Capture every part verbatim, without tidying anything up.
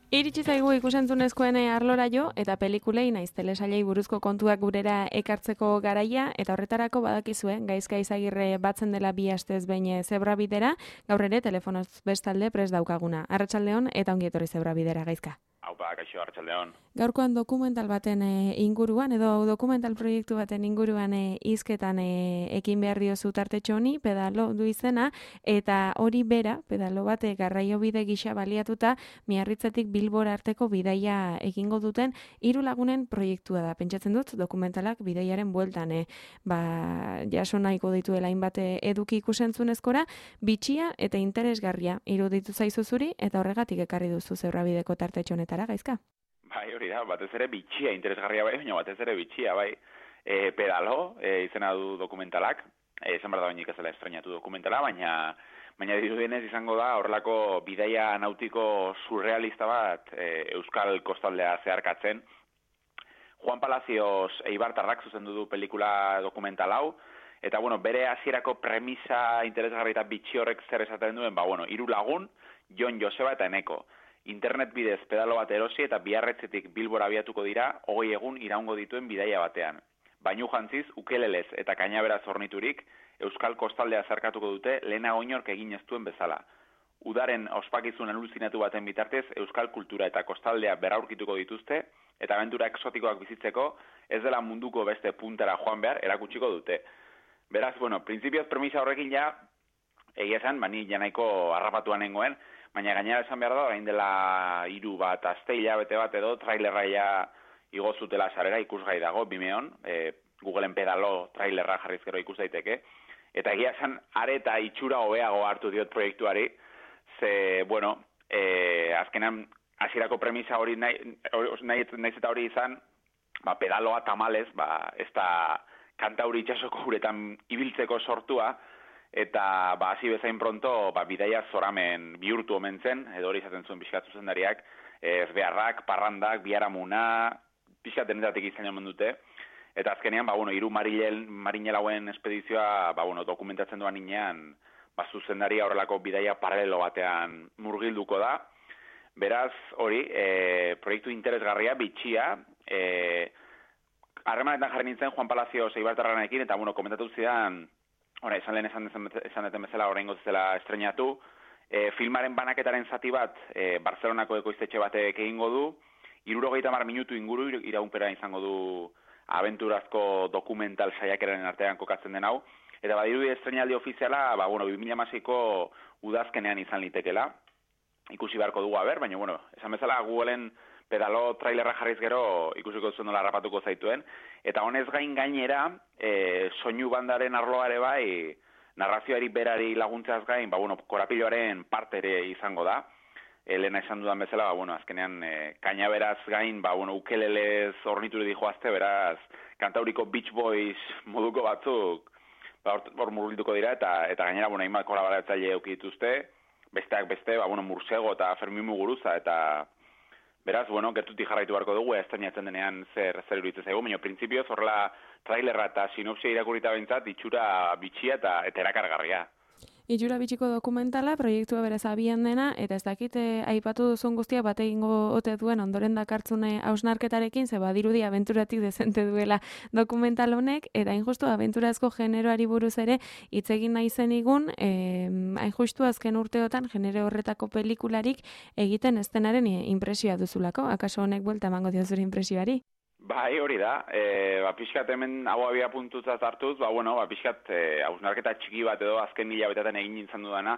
Iritsi zaigu ikusentzunezkoen arlora jo, eta pelikulei naiz telesailei buruzko kontuak gurera ekartzeko garaia, eta horretarako badakizue, Gaizka Izagirre batzen dela bi astez behin Zebrabidera, gaur ere telefonoz bestalde prest daukaguna. Arratsaldeon eta ongi etorri Zebrabidera, Gaizka. Aupa, kaixo, arratsaldeon. Gaurkoan dokumental baten e, inguruan, edo dokumental proiektu baten inguruan e, izketan e, ekin behar diozu tartetxo honi, pedalo du izena, eta hori bera, pedalo bate garraio bide gisa baliatuta, Miarritzetik Bilbora arteko bidaia egingo duten hiru lagunen proiektua da. Pentsatzen dut, dokumentalak bidaiaren bueltan, e, ba, jaso nahiko dituela hainbat eduki ikusentzunezkora, bitxia eta interesgarria iruditu zaizu zuri, eta horregatik ekarri duzu Zebrabideko tartetxo honetara, Gaizka? Bai, hori da, batez ere bitxia, interesgarria bai, baina batez ere bitxia, bai. E, pedalo, e, izena du dokumentalak, e, esan behar da bainik ez dela estrenatu dokumentala, baina baina dirudienez izango da horrelako bidaia nautiko surrealista bat e, Euskal Kostaldea zeharkatzen. Juan Palacios Eibartarrak zuzendu du pelikula dokumental hau, eta bueno, bere hasierako premisa interesgarri eta bitxi horrek zer esaten duen, ba bueno, hiru lagun, Jon, Joseba eta Eneko. Internet bidez pedalo bat erosi eta Biarritzetik Bilbora abiatuko dira, hogei egun iraungo dituen bidaia batean. Bainu jantziz, ukelelez eta kainaberaz horniturik, Euskal Kostaldea zarkatuko dute lehenago inork egin ez duen bezala. Udaren ospakizun aluzinatu baten bitartez, Euskal kultura eta kostaldea berraurkituko dituzte, eta abentura exotikoak bizitzeko, ez dela munduko beste puntara joan behar erakutsiko dute. Beraz, bueno, printzipioz premisa horrekin ja, egia esan, bani janaiko harrapatuan nengoen, baina gainera esan behar da, orain dela hiru bat aste hilabete bat edo, trailerra ja igo zutela sarera ikusgai dago, Bimeon, e, Googleen pedalo trailerra jarriz gero ikus daiteke, eta egia esan are eta itxura hobeago hartu diot proiektuari, ze, bueno, e, azkenan hasierako premisa hori nahi, nahi, nahi eta hori izan, ba, pedaloa tamalez, ba, ez da kanta hori itxasoko uretan ibiltzeko sortua, eta ba, hasi bezain pronto ba, bidaia zoramen bihurtu omen zen, edo hori izaten zuen pixkat zuzendariak, ez beharrak, parrandak, biharamuna, pixkat denetatik izan omen dute, eta azkenean, ba, bueno, hiru marinelauen espedizioa ba, bueno, dokumentatzen duan inean, ba, zuzendaria horrelako bidaia paralelo batean murgilduko da. Beraz, hori, e, proiektu interesgarria, bitxia, e, harremanetan jarri nintzen Juan Palacios Eibartarranekin, eta, bueno, komentatu zidan, Hora, esan lehen esan, esan deten bezala oraingo zela estrenatu, e, filmaren banaketaren zati bat e, Barcelonako ekoiztetxe batek egingo du, hirurogeita hamar minutu inguru iraunpera izango du abenturazko dokumental saiakeraren artean kokatzen den hau, eta badirudi estrenaldi ofiziala, ba, bueno, bi mila hamaseiko udazkenean izan litekela, ikusi beharko dugu haber, baina, bueno, esan bezala Googleen pedalo trailerra jarriz gero ikusiko zuen nola harrapatuko zaituen, eta honez gain gainera, e, soinu bandaren arloa ere bai, narrazioari berari laguntzaz gain, ba, bueno, korapiloaren parte ere izango da, e, lehena esan dudan bezala, ba, bueno, azkenean, e, kainaberaz gain, ba, bueno, ukelelez hornituri dijoazte, beraz, kantauriko Beach Boys moduko batzuk, ba, hor murgilduko dira, eta, eta gainera, bueno, hainbat kolaboratzaile eduki dituzte, besteak beste, ba, bueno, Mursego eta Fermin Muguruza, eta beraz, bueno, gertutik jarraitu beharko dugu, estrenatzen denean zer, zer iruditzen zaigu, baina printzipioz horrela trailerra eta sinopsia irakurita behintzat, itxura bitxia eta, eta erakargarria. Itxura bitxiko dokumentala, proiektua beraz abian dena, eta ez dakit eh, aipatu duzun guztia bat egingo ote duen ondoren dakartzune hausnarketarekin, ze badirudi abenturatik dezente duela dokumental honek, eta hain justu abenturazko generoari buruz ere hitz egin nahi zen igun, eh, hain justu azken urteotan genero horretako pelikularik egiten ez denaren impresioa duzulako, akaso honek buelta emango dio zure impresioari? Bai, hori da, e, ba, pixkat hemen hau abia puntutzat hartuz, ba, bueno, ba, pixkat e, hausnarketa txiki bat edo azken hilabetetan egin nintzen dudana.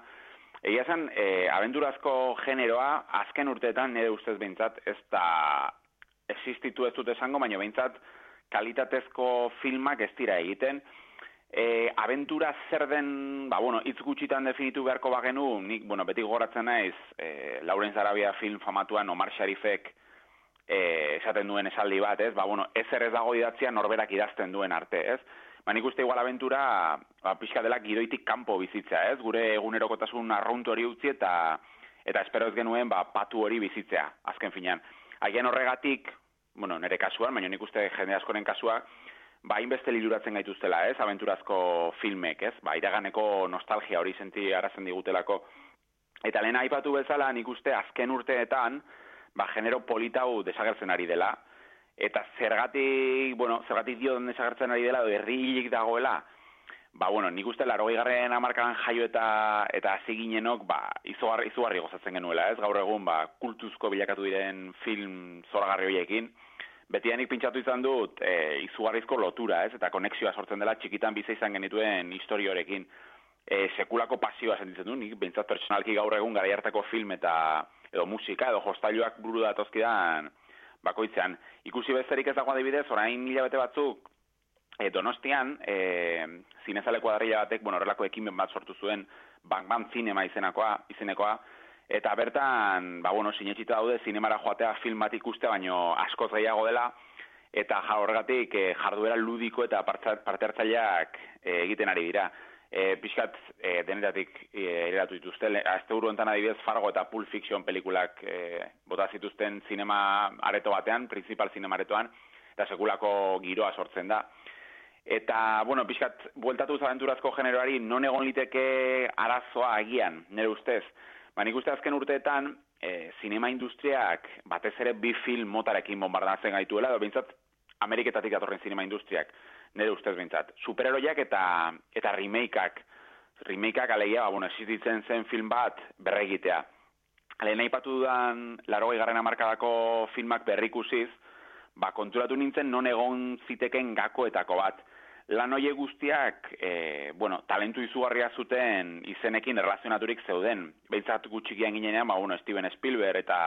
Egia zen, e, abenturazko generoa azken urteetan nire ustez behintzat ez da existitu ez dut esango, baina behintzat kalitatezko filmak ez dira egiten. E, abentura zer den, ba, bueno, hitz gutxitan definitu beharko bagenu, nik, bueno, beti gogoratzen naiz, e, Laurens Arabia film famatuan Omar Sharifek E, esaten duen esaldi bat, ez? Ba, bueno, ezer ez dago idatzia norberak idazten duen arte, ez? Ba, nik uste igual abentura, ba, pixka dela gidoitik kanpo bizitzea, ez? Gure egunerokotasun arruntu hori utzi eta eta espero ez genuen, ba, patu hori bizitzea, azken finean. Haien horregatik, bueno, nire kasuan, baina nik uste jende askoren kasua, ba, hainbeste liluratzen gaituztela, ez? Abenturazko filmek, ez? Ba, iraganeko nostalgia hori senti arazen digutelako. Eta lehen aipatu bezala, nik uste azken urteetan, ba, genero politau desagertzen ari dela, eta zergatik, bueno, zergatik dio desagertzen ari dela, edo herrilik dagoela, ba, bueno, nik uste larogei garren hamarkadan jaio eta eta hasi ginenok, ba, izugarri, izugarri gozatzen genuela, ez? Gaur egun, ba, kultuzko bilakatu diren film zoragarri horiekin, betianik pintxatu izan dut e, izugarrizko lotura, ez? Eta konexioa sortzen dela txikitan bizi izan genituen historiorekin. E, sekulako pasioa sentitzen du, nik behintzat pertsonalki gaur egun garai hartako film eta edo musika, edo jostailuak buru datozkidan bakoitzean. Ikusi besterik ez dago adibidez, orain hilabete batzuk, E, Donostian, e, zinezale kuadrilla batek, bueno, horrelako ekimen bat sortu zuen, Bang Bang Cinema izenakoa, izenekoa, eta bertan, ba, bueno, sinetxita daude, zinemara joatea film bat ikustea, baino askoz gehiago dela, eta horregatik e, jarduera ludiko eta parte hartzaileak e, egiten ari dira. E, pixkat, e, denetatik e, ereratu dituzte, azte buru enten adibidez Fargo eta Pulp Fiction pelikulak e, bota zituzten zinema areto batean, principal zinema aretoan, eta sekulako giroa sortzen da. Eta, bueno, pixkat, bueltatuz abenturazko generoari non egon liteke arazoa agian, nire ustez. Ba, nik uste azken urteetan, e, zinema industriak batez ere bi film motarekin bombardatzen gaituela, edo bintzat Ameriketatik datorren zinema industriak, nire ustez bintzat. Superheroiak eta, eta remakeak, remakeak alegia, ba, bueno, existitzen zen film bat berregitea. Lehen aipatu dudan larogei garren hamarkadako filmak berrikusiz, ba, konturatu nintzen non egon ziteken gakoetako bat. Lan hoiek guztiak, e, bueno, talentu izugarria zuten izenekin erlazionaturik zeuden. Behintzat gutxikian ginenean, ba, bueno, Steven Spielberg eta,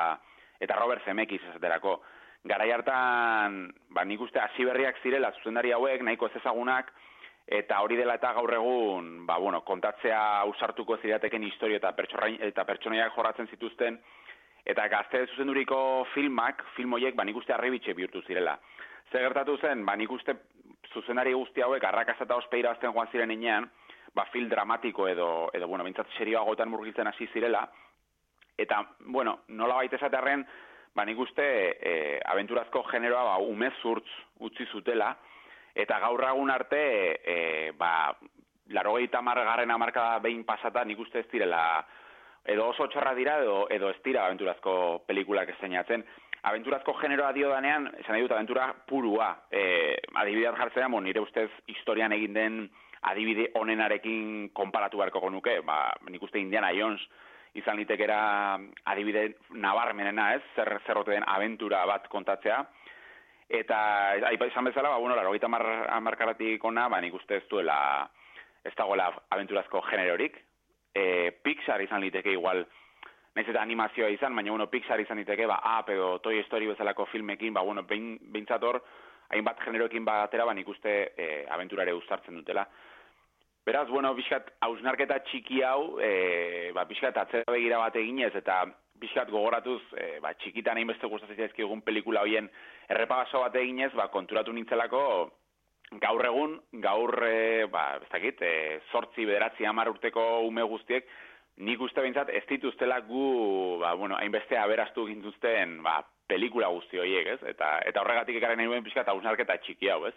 eta Robert Zemeckis esaterako. Garai hartan, ba, nik uste hasi berriak zirela zuzendari hauek, nahiko ez ezagunak, eta hori dela eta gaur egun, ba, bueno, kontatzea ausartuko zirateken historio eta, eta pertsonaiak jorratzen zituzten, eta gazte zuzenduriko filmak, film horiek, ba, nik uste harribitxe bihurtu zirela. Zer gertatu zen, ba, nik uste zuzendari guzti hauek arrakasta eta ospeira azten joan ziren inean, ba, film dramatiko edo, edo bueno, bintzat serioagotan murgiltzen hasi zirela, eta, bueno, nola baita esatearren, ba, nik uste e, abenturazko generoa, ba, umezurtz utzi zutela, eta gaur egun arte, e, ba, larogeita hamar garren hamarkada behin pasata, nik uste ez direla, edo oso txarra dira, edo, edo ez dira abenturazko pelikulak esainatzen. Abenturazko generoa dio danean, esan nahi dut, abentura purua. E, adibidea jartzea, bon, nire ustez historian egin den adibide onenarekin konparatu beharko genuke. Ba, nik uste Indiana Jones izan litekera adibide nabarmenena, ez? Zer zerrote den abentura bat kontatzea. Eta, aipa izan bezala, ba, bueno, laurogeita hamarkadatik ona, ba, nik uste ez duela, ez dagoela abenturazko generorik. E, Pixar izan liteke igual, nahiz eta animazioa izan, baina bueno, Pixar izan diteke, ba, Up edo Toy Story bezalako filmekin, ba, bueno, behin, behintzator, hainbat generoekin batera, ba, nik uste e, abenturare uztartzen dutela. Beraz, bueno, pixkat, hausnarketa txiki hau, e, ba, pixkat, atzera begira bat eginez, eta pixkat gogoratuz, e, ba, txikitan hainbeste gustatzen zaizkigun pelikula hoien errepaso bat eginez, ba, konturatu nintzelako, gaur egun, gaur, e, ba, ez dakit, e, zortzi, bederatzi, hamar urteko ume guztiek, nik uste behintzat ez dituztela gu, ba, bueno, hainbeste aberastu gintuzten, ba, pelikula guzti horiek, ez? Eta, eta horregatik ekarren nahi duen pixka eta hausnarketa txiki hau, ez?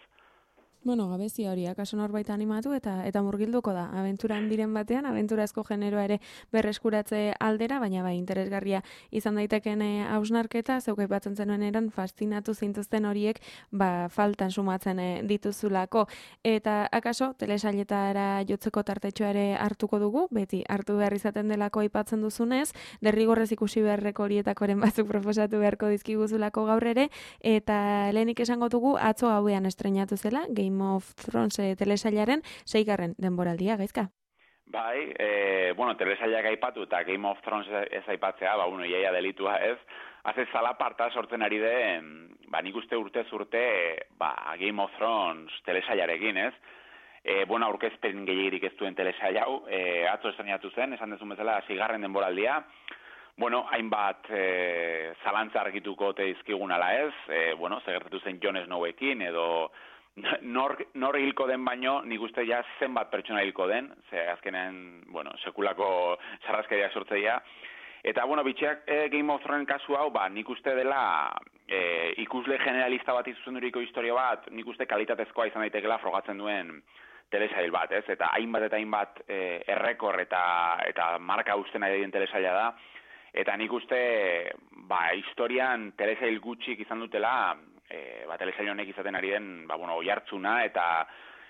Bueno, gabezia hori, akaso norbait animatu eta eta murgilduko da. Abenturan diren batean, abenturazko generoa ere berreskuratze aldera, baina bai, interesgarria izan daiteken hausnarketa, zeuk aipatzen zenuen eran, fascinatu zintuzten horiek, ba, faltan sumatzen dituzulako. Eta akaso, telesailetara jotzeko tartetxoa ere hartuko dugu, beti hartu behar izaten delako aipatzen duzunez, derrigorrez ikusi beharreko horietakoren batzuk proposatu beharko dizkiguzulako gaur ere, eta lehenik esango dugu atzo hauean estrenatu zela, Game of Thrones eh, telesailaren seigarren denboraldia, Gaizka? Bai, e, bueno, telesailak aipatu eta Game of Thrones ez aipatzea, ba, bueno, iaia delitua ez, haze zalaparta sortzen ari den, ba, nik uste urtez urte, ba, Game of Thrones telesailarekin, ez? E, bueno, aurkezpen gehiagirik ez duen telesail hau, e, atzo estrenatu zen, esan dezun bezala, seigarren denboraldia, bueno, hainbat e, zalantza argituko teizkigun ala ez, e, bueno, zegertatu zen Jon Snowekin, edo Nor, nor hilko den baino, nik uste ja zenbat pertsona hilko den, ze azkenean, bueno, sekulako sarrazkeria sortzeia. Eta, bueno, bitxeak e, Game of Thrones kasu hau, ba, nik uste dela e, ikusle generalista bat izuzenduriko historia bat, nik uste kalitatezkoa izan daitekela frogatzen duen telesail bat, ez? Eta hainbat eta hainbat e, errekor eta, eta marka usten nahi den telesaila da. Eta nik uste, ba, historian telesail gutxik izan dutela, e, ba, telesail honek izaten ari den, ba, bueno, oihartzuna, eta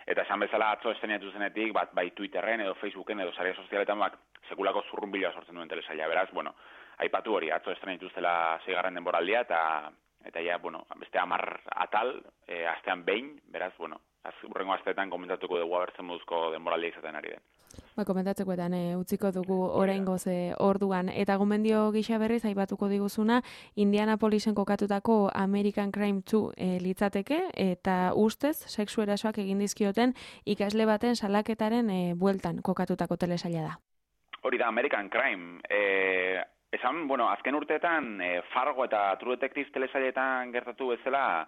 eta esan bezala atzo estrenatu zenetik, bat, bai Twitterren edo Facebooken edo sare sozialetan, bak, sekulako zurrunbiloa sortzen duen telesaila, beraz, bueno, aipatu hori, atzo estrenatu zela seigarren denboraldia, eta eta ja, bueno, beste hamar atal, e, astean behin, beraz, bueno, az, urrengo asteetan komentatuko dugu abertzen moduzko denboraldia izaten ari den. Ba, komentatzekoetan e, utziko dugu oraingoz e, orduan. Eta gomendio gisa berriz aipatuko diguzuna, Indianapolisen kokatutako American Crime two e, litzateke, eta ustez, sexu erasoak egin dizkioten ikasle baten salaketaren e, bueltan kokatutako telesaila da. Hori da, American Crime. E, esan, bueno, azken urteetan, e, Fargo eta True Detective telesailetan gertatu bezala,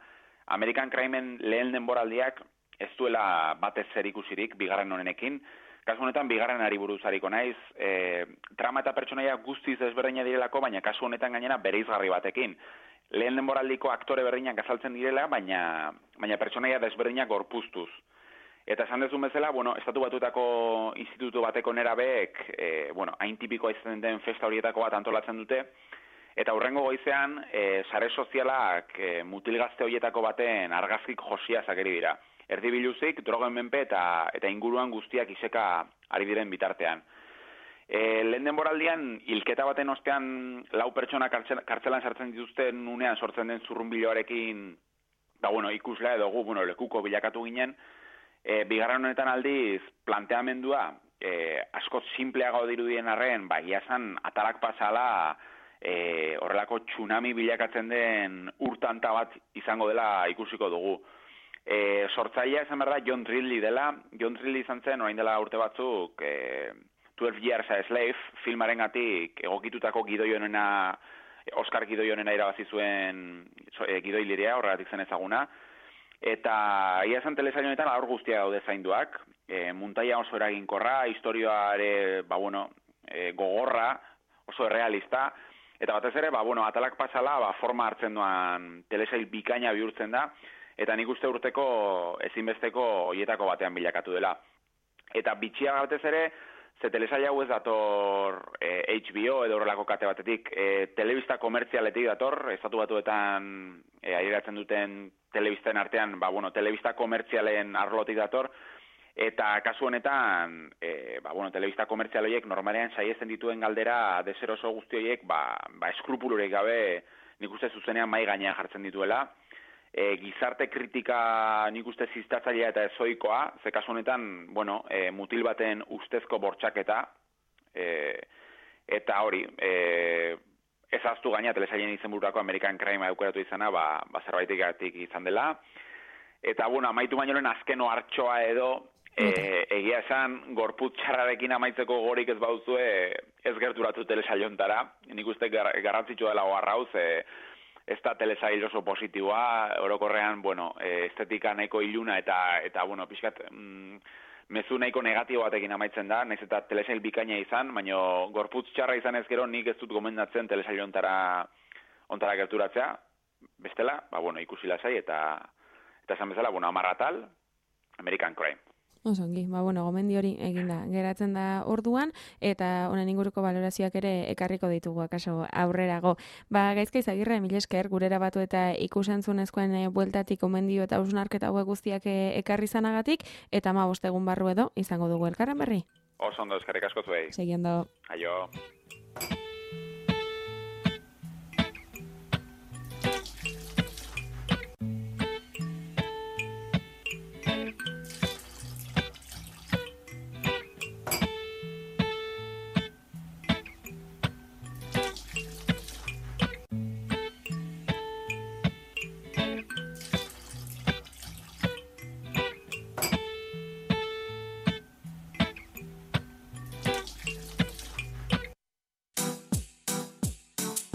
American Crimeen lehen denboraldiak ez duela batez zer ikusirik, bigarren honenekin. Kasu honetan, bigarren ari buruz hariko naiz, e, trama eta pertsonaia guztiz desberdina direlako, baina kasu honetan gainera bereizgarri batekin. Lehen denboraldiko aktore berdinak azaltzen direla, baina, baina pertsonaia desberdinak gorpuztuz. Eta esan dezun bezala, bueno, estatu batutako institutu bateko nerabeek, e, bueno, hain tipikoa izaten den festa horietako bat antolatzen dute, eta hurrengo goizean, e, sare sozialak e, mutilgazte horietako baten argazkik josia zakeri dira. Erdi biluzik, drogen menpe eta, eta inguruan guztiak iseka ari diren bitartean. E, lehen denboraldian, hilketa baten ostean lau pertsona kartzelan sartzen dituzten unean sortzen den zurrunbiloarekin, da, bueno, ikuslea edo gu, bueno, lekuko bilakatu ginen, e, bigarren honetan aldiz planteamendua, e, asko simpleago dirudien arren, ba, giazan atalak pasala, e, horrelako tsunami bilakatzen den urtanta bat izango dela ikusiko dugu. E, sortzailea esan behar da John Ridley dela. John Ridley izan zen, orain dela urte batzuk, e, twelve years a Slave, filmaren gatik egokitutako gidoi honena, Oscar gidoi honena irabazi zuen e, gidoi lirea, horregatik zen ezaguna. Eta ia esan telesail honetan aur guztia daude zainduak, e, muntaia oso eraginkorra, historioare, ba bueno, e, gogorra, oso errealista, eta batez ere, ba bueno, atalak pasala, ba, forma hartzen duan telesail bikaina bihurtzen da, eta nik uste urteko ezinbesteko hoietako batean bilakatu dela. Eta bitxia batez ere, ze telesail hau ez dator e, H B O edo horrelako kate batetik, e, telebista komertzialetik dator, estatu batuetan e, airatzen duten telebisten artean, ba, bueno, telebista komertzialen arlotik dator, eta kasu honetan, e, ba, bueno, telebista komertzial horiek normalean saiesten dituen galdera deseroso guzti horiek, ba, ba eskrupulurek gabe nik uste zuzenean mai gainean jartzen dituela. E, gizarte kritika nik uste ziztatzailea eta ezoikoa, ze kasu honetan, bueno, e, mutil baten ustezko bortxaketa, e, eta hori, e, ezaztu gaina telesailen izenbururako American Crime aukeratu izana, ba, ba zerbaitegatik izan dela, eta, bueno, amaitu bainoren azkeno hartxoa edo, e, egia esan, gorputz txarrarekin amaitzeko gorik ez bauzue, ez gerturatu telesailontara, nik uste gar, garrantzitsua dela oharrauz, e, ez da telesail oso positiboa, orokorrean, bueno, estetika nahiko iluna eta, eta bueno, pixkat, mm, mezu nahiko negatibo batekin amaitzen da, nahiz eta telesail bikaina izan, baina gorputz txarra izan ez gero nik ez dut gomendatzen telesail ontara, ontara gerturatzea, bestela, ba, bueno, ikusi lasai eta, eta esan bezala, bueno, amarratal, American Crime. Osongi, ba, bueno, gomendi hori eginda geratzen da orduan, eta honen inguruko balorazioak ere ekarriko ditugu akaso aurrerago. Ba, Gaizka Izagirre, mil esker, gurera batu eta ikusentzunezkoen e, bueltatik gomendio eta hausnarketa hauek guztiak e, ekarri zanagatik, eta ma bostegun barru edo izango dugu elkarren berri. Oso ondo, eskerrik asko zuei. Seguindo. Aio.